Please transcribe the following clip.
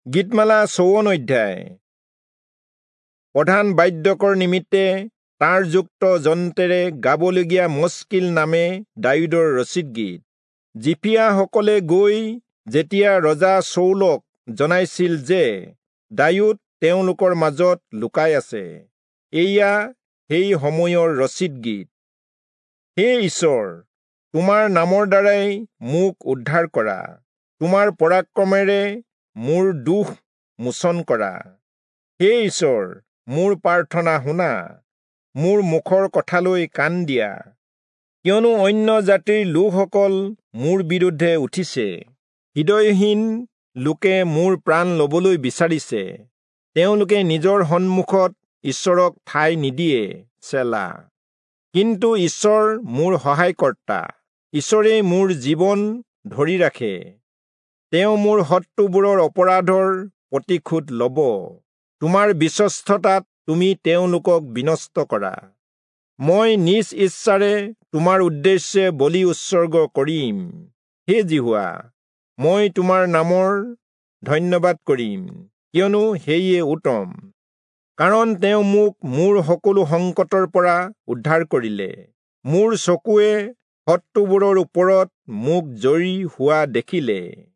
গীতমালা 54 অধ্যায়। প্ৰধান বাদ্যকৰ নিমিত্তে তাঁৰযুক্ত যন্ত্ৰেৰে গাবলগীয়া মস্কিল নামে দায়ূদৰ ৰচিত গীত। জিফিয়াসকলে গৈ যেতিয়া ৰজা চৌলক জনাইছিল যে দায়ূদ তেওঁলোকৰ মাজত লুকাই আছে, এয়া সেই সময়ৰ ৰচিত গীত। হে ঈশ্বৰ, তোমাৰ নামৰ দ্বাৰাই মোক উদ্ধাৰ কৰা, তোমাৰ পৰাক্ৰমেৰে মোৰ দুখ মোচন কৰা। হে ঈশ্বৰ, মোৰ প্ৰাৰ্থনা শুনা, মোৰ মুখৰ কথালৈ কাণ দিয়া। কিয়নো অন্য জাতিৰ লোকসকল মোৰ বিৰুদ্ধে উঠিছে, হৃদয়হীন লোকে মোৰ প্ৰাণ ল'বলৈ বিচাৰিছে। তেওঁলোকে নিজৰ সন্মুখত ঈশ্বৰক ঠাই নিদিয়ে। চেলা। কিন্তু ঈশ্বৰ মোৰ সহায়কৰ্তা, ঈশ্বৰেই মোৰ জীৱন ধৰি ৰাখে। তেওঁ মোৰ শত্ৰুবোৰৰ অপৰাধৰ প্ৰতিশোধ ল'ব। তোমাৰ বিশ্বস্ততাত তুমি তেওঁলোকক বিনষ্ট কৰা। মই নিজ ইচ্ছাৰে তোমাৰ উদ্দেশ্যে বলি উৎসৰ্গ কৰিম। হে যিহোৱা, মই তোমাৰ নামৰ ধন্যবাদ কৰিম, কিয়নো সেয়ে উত্তম। কাৰণ তেওঁ মোক মোৰ সকলো সংকটৰ পৰা উদ্ধাৰ কৰিলে। মোৰ চকুৱে শত্ৰুবোৰৰ ওপৰত মোক জয়ী হোৱা দেখিলে।